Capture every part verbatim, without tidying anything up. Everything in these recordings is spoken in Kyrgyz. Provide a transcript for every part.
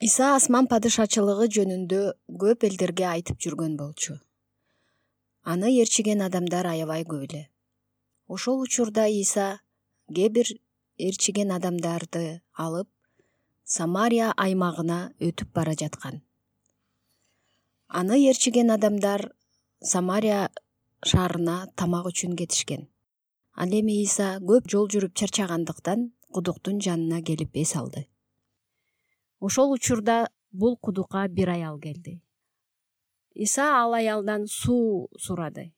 Иса асман падышачылыгы жөнүндө көп элдерге айтып жүргөн болчу. Аны ээрчиген адамдар аябай көп эле. Ошол учурда Иса кээ бир ээрчиген адамдарды алып Самария аймагына өтүп бара жаткан. Аны ээрчиген адамдар Самария шаарына тамак үчүн кетишкен. Ал эми Иса көп жол жүрүп чарчагандыктан кудуктун жанына келип эс алды. Ошол учурда бул кудукка бир аял келди. Иса ал аялдан суу сурады.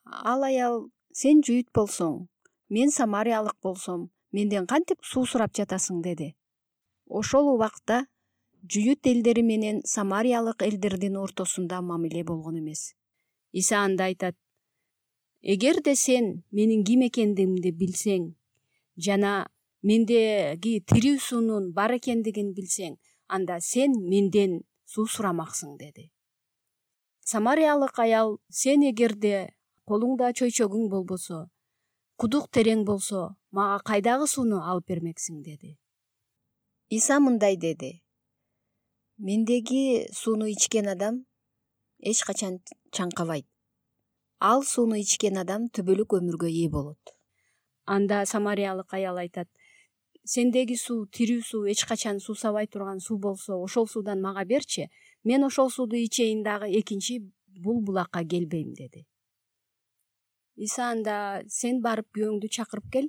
Ал аял: "Сен жүйүт болсоң, мен самариялык болсом, менден кантип суу сурап жатасың?" деди. Ошол убакта жүйүт элдери менен самариялык элдердин ортосунда мамиле болгон эмес. Иса анда айтат: "Эгерде сен менин ким экендигимди билсең жана мендеги тирүү суунун бар экендигин билсең, анда сен менден суу сурамаксың" деди. Самариялык аял: "Сен эгерде колуңда чөйчөгүң болбосо, кудук терең болсо, мага кайдагы сууну алып бермексиң" деди. Иса мындай деди: "Мендеги сууну ичкен адам эч качан чаңкабайт. Ал сууну ичкен адам түбөлүк өмүргө ээ болот." Анда самариялык аял айтат: "Сендеги суу тирүү суу, эч качан суусабай турган суу болсо, ошол суудан мага берчи. Мен ошол сууду ичейин дагы экинчи бул булакка келбейм" деди. Иса анда: "Сен барып күйөөңдү чакырып кел."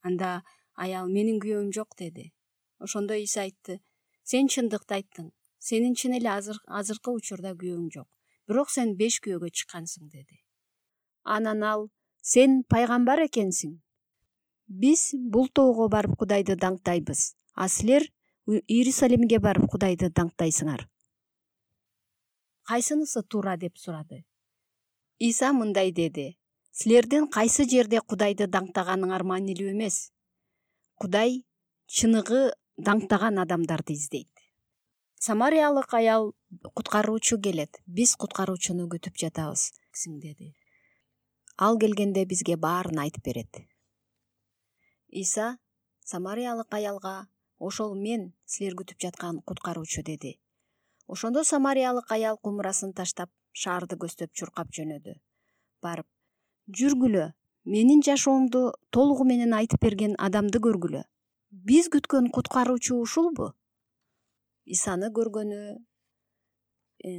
Анда аял: "Менин күйөөм жок" деди. Ошондо Иса айтты: "Сен чындыкты айттың. Сенин чын эле азыркы учурда күйөөң жок. Бирок сен беш күйөөгө чыккансың" деди. Анан ал: "Сен пайгамбар экенсиң. Биз бул тоого барып Кудайды даңктайбыз, а силер Иерусалимге барып Кудайды даңктайсыңар. Кайсынысы туура?" деп сурады. Иса мындай деди: "Силердин кайсы жерде Кудайды даңктаганыңар маанилүү эмес. Кудай чыныгы даңктаган адамдарды издейт." Самариялык аял: "Куткаруучу келет, биз куткаруучуну күтүп жатабыз" деди. Ал келгенде бизге баарын айтып берет. Иса самариялык аялга: "Ошол мен силер күтүп жаткан куткаруучу" деди. Ошондо самариялык аял кумурасын таштап, шаарды көздөп чуркап жөнөдү. Барып: "Жүргүлө, менин жашоомду толугу менен айтып берген адамды көргүлө. Биз күткөн куткаруучу ушулбу?" Исаны көргөнү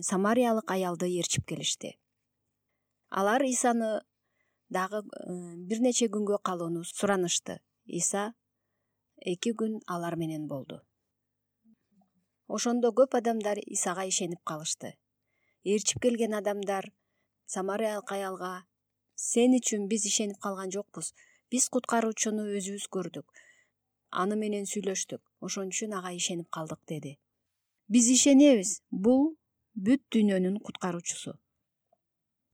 самариялык аялды ээрчип келишти. Алар Исаны дагы бир нече күнгө калууну суранышты. Иса эки күн алар менен болду. Ошондо көп адамдар Исага ишенип калышты. Ээрчип келген адамдар самариялык аялга: "Сен үчүн биз ишенип калган жокпуз. Биз куткаруучуну өзүбүз көрдүк. Аны менен сүйлөштүк. Ошон үчүн ага ишенип калдык" деди. Биз ишенебиз, бул бүт дүйнөнүн куткаруучусу.